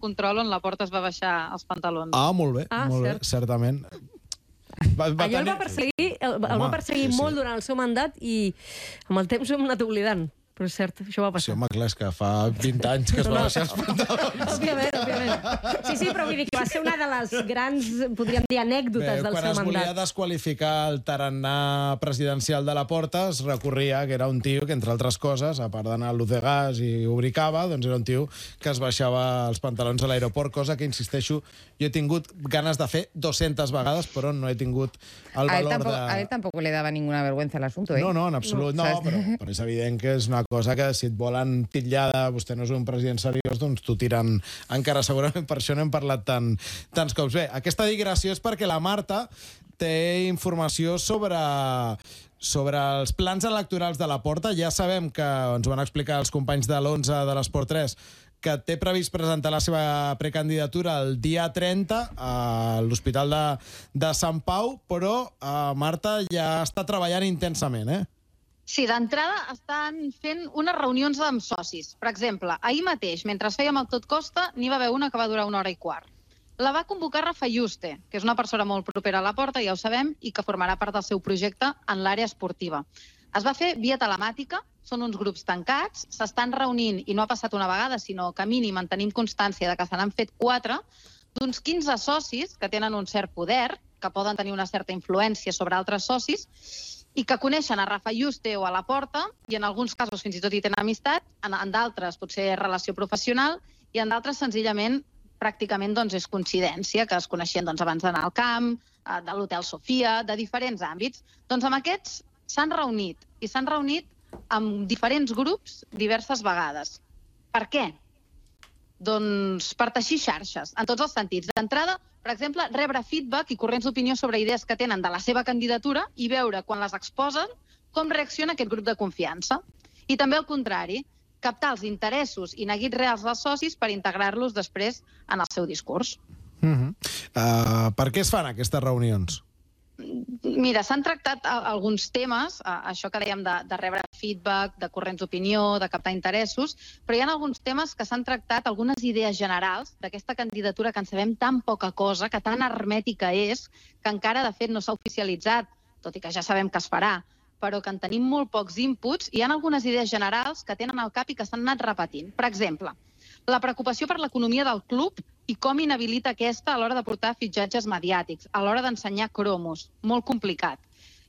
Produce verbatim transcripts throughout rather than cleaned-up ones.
control on la Porta es va baixar els pantalons. Ah, molt bé, Ah, molt cert. bé, certament. Va, va Allò el tenir- va perseguir, el, el Home, va perseguir sí, sí. molt durant el seu mandat i amb el temps ho hem anat oblidant. Però és cert, això va Sí, passar. home, clar, és que fa vint anys que es va baixar els pantalons. Òbviament, òbviament. Sí, sí, però vull dir que va ser una de les grans, podríem dir, anècdotes Bé, del quan seu es volia mandat. desqualificar el tarannà presidencial de la Porta, es recorria que era un tio que, entre altres coses, a part d'anar a l'U de Gas i obrir cava, doncs era un tio que es baixava els pantalons a l'aeroport, cosa que, insisteixo, jo he tingut ganes de fer dues-centes vegades, però no he tingut el A él, valor tampoco, de... a él tampoco le daba ninguna vergüenza el asunto, ¿eh? No, no, en absolut no, ¿Sabes? però, però és evident que és una cosa que si et volen titllar de vostè no és un president seriós, doncs t'ho tiren encara segurament, per això no hem parlat tant, tants cops. Bé, aquesta digressió és perquè la Marta té informació sobre, sobre els plans electorals de la Porta. Ja sabem que ens van explicar els companys de l'onze de l'Esport tres que té previst presentar la seva precandidatura el dia trenta a l'Hospital de, de Sant Pau, però eh, Marta ja està treballant intensament, eh? Sí, d'entrada estan fent unes reunions amb socis. Per exemple, ahir mateix, mentre fèiem el Tot Costa, n'hi va haver una que va durar una hora i quart. La va convocar Rafa Yuste, que és una persona molt propera a la Porta, ja ho sabem, i que formarà part del seu projecte en l'àrea esportiva. Es va fer via telemàtica, són uns grups tancats, s'estan reunint, i no ha passat una vegada, sinó que a mínim en tenim constància de que se n'han fet quatre, d'uns quinze socis que tenen un cert poder, que poden tenir una certa influència sobre altres socis, i que coneixen a Rafa Yuste o a la Porta, i en alguns casos fins i tot hi tenen amistat, en, en d'altres potser relació professional, i en d'altres senzillament pràcticament doncs, és coincidència, que es coneixien doncs, abans d'anar al camp, eh, de l'Hotel Sofia, de diferents àmbits. Doncs amb aquests s'han reunit, i s'han reunit amb diferents grups diverses vegades. Per què? Doncs per teixir xarxes, en tots els sentits. D'entrada, per exemple, rebre feedback i corrents d'opinió sobre idees que tenen de la seva candidatura i veure, quan les exposen, com reacciona aquest grup de confiança. I també al contrari, captar els interessos i neguits reals dels socis per integrar-los després en el seu discurs. Uh-huh. Uh, per què es fan aquestes reunions? Mira, s'han tractat a- alguns temes, a- això que dèiem de, de rebre feedback, de corrents d'opinió, de captar interessos, però hi ha alguns temes que s'han tractat, algunes idees generals d'aquesta candidatura que en sabem tan poca cosa, que tan hermètica és, que encara, de fet, no s'ha oficialitzat, tot i que ja sabem que es farà, però que en tenim molt pocs inputs, i hi ha algunes idees generals que tenen al cap i que s'han anat repetint. Per exemple, la preocupació per l'economia del club i com inhabilita aquesta a l'hora de portar fitxatges mediàtics, a l'hora d'ensenyar cromos. Molt complicat.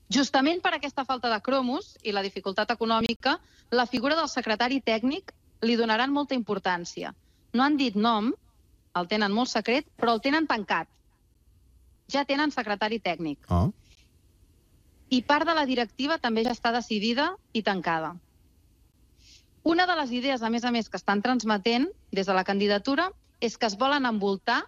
Justament per aquesta falta de cromos i la dificultat econòmica, la figura del secretari tècnic li donaran molta importància. No han dit nom, el tenen molt secret, però el tenen tancat. Ja tenen secretari tècnic. Oh. I part de la directiva també ja està decidida i tancada. Una de les idees, a més a més, que estan transmetent des de la candidatura és que es volen envoltar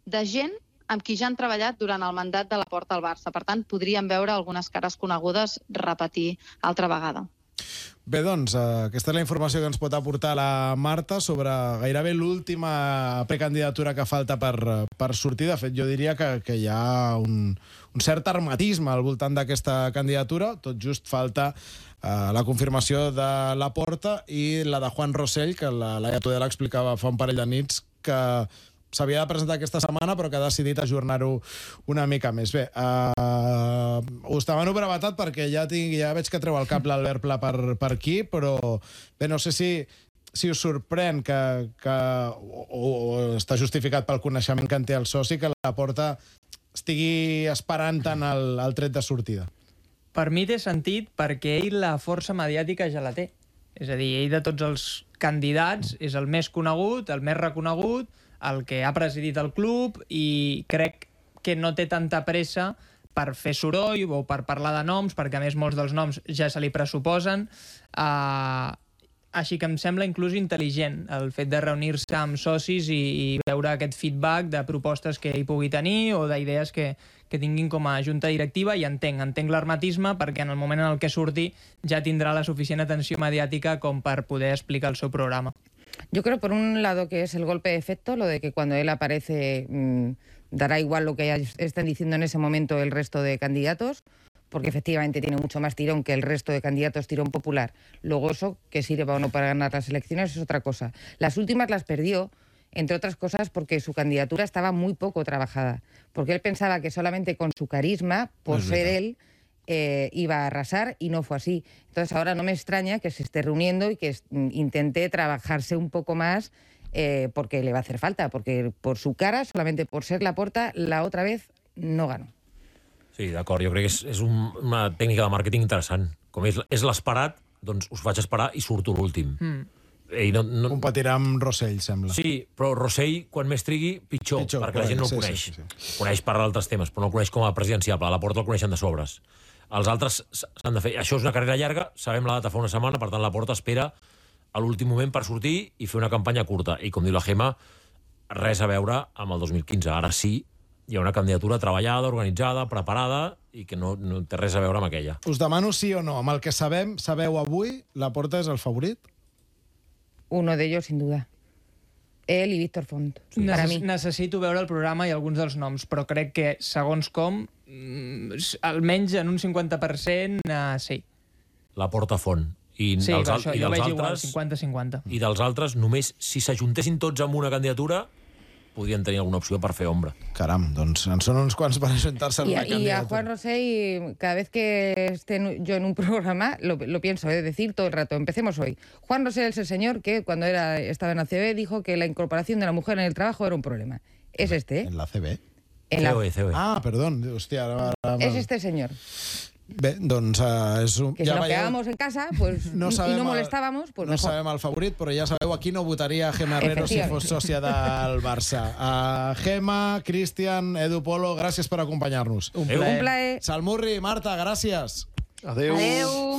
de gent amb qui ja han treballat durant el mandat de la Porta al Barça. Per tant, podríem veure algunes cares conegudes repetir altra vegada. Bé, doncs, eh, aquesta és la informació que ens pot aportar la Marta sobre gairebé l'última precandidatura que falta per, per sortir. De fet, jo diria que, que hi ha un, un cert hermetisme al voltant d'aquesta candidatura. Tot just falta eh, la confirmació de la Porta i la de Juan Rosell, que la Laia Tudela explicava fa un parell de nits, que s'havia de presentar aquesta setmana, però que ha decidit ajornar-ho una mica més. Bé, uh, us demano brevetat perquè ja, tinc, ja veig que treu el cap l'Albert Pla per, per aquí, però bé, no sé si, si us sorprèn que, que o, o està justificat pel coneixement que en té el soci, que la Porta estigui esperant tant el, el tret de sortida. Per mi té sentit perquè ell la força mediàtica ja la té. És a dir, ell de tots els candidats és el més conegut, el més reconegut, el que ha presidit el club, i crec que no té tanta pressa per fer soroll o per parlar de noms, perquè a més molts dels noms ja se li pressuposen. Uh, així que em sembla inclús intel·ligent el fet de reunir-se amb socis i, i veure aquest feedback de propostes que ell pugui tenir o d'idees que, que tinguin com a junta directiva, i entenc, entenc l'hermetisme, perquè en el moment en el que surti ja tindrà la suficient atenció mediàtica com per poder explicar el seu programa. Yo creo, por un lado, que es el golpe de efecto, lo de que cuando él aparece mmm, dará igual lo que estén diciendo en ese momento el resto de candidatos, porque efectivamente tiene mucho más tirón que el resto de candidatos tirón popular. Luego eso, que sirva o no para ganar las elecciones, es otra cosa. Las últimas las perdió entre otras cosas porque su candidatura estaba muy poco trabajada, porque él pensaba que solamente con su carisma, por Es ser verdad. él, eh, iba a arrasar y no fue así. Entonces ahora no me extraña que se esté reuniendo y que es- intente trabajarse un poco más eh, porque le va a hacer falta, porque por su cara, solamente por ser Laporta, la otra vez no ganó. Sí, d'acord, jo crec que és, és un, una tècnica de màrqueting interessant. Com és, és l'esperat, doncs us faig esperar i surto l'últim. Mm. Ell no, no... Competirà amb Rossell, sembla. Sí, però Rossell, quan més trigui, pitjor, Pitjor, perquè la gent no el sí, coneix. sí, sí, sí. Coneix per altres temes, però no el coneix com a presidenciable. A la Porta el coneixen de sobres. Els altres s- s'han de fer... Això és una carrera llarga, sabem la data fa una setmana, per tant la Porta espera a l'últim moment per sortir i fer una campanya curta. I com diu la Gemma, res a veure amb el dos mil quinze. Ara sí, hi ha una candidatura treballada, organitzada, preparada i que no, no té res a veure amb aquella. Us demano sí o no. Amb el que sabem, sabeu avui, Laporta és el favorit? Uno de ellos, sin duda. Él y Víctor Font, para Neces mí. necessito veure el programa i alguns dels noms, però crec que, segons com, mm, s- almenys en un cinquanta per cent, uh, sí. La Porta Font. I, Sí, dels, per al- això, i jo dels veig igual, altres... cinquanta cinquanta. I dels altres, només si s'ajuntessin tots amb una candidatura, podrien tenir alguna opció per fer ombra. Caram, doncs en són uns quants per ajuntar-se en Y una a, y a candidatura. Juan Rosell, cada vez que esté en- yo en un programa, lo, lo pienso, es decir, todo el rato. Empecemos hoy. Juan Rosell es el señor que cuando era, estaba en la C B dijo que la incorporación de la mujer en el trabajo era un problema. Es este, ¿eh? En la C B. En la- C O E, C O E. Ah, perdó, hòstia, ara... ara es este señor. Bé, doncs uh, és un... Que si nos quedábamos en casa pues, no y sabem no el- molestábamos, pues no mejor. sabem el favorit, però ja sabeu, aquí no votaria Gemma Herrero si fos sòcia del Barça. Uh, Gemma, Cristian, Edu Polo, gràcies per acompanyar-nos. Un Adéu. plaer. Un plaer. Salmurri, Marta, gràcies. Adéu. Adéu.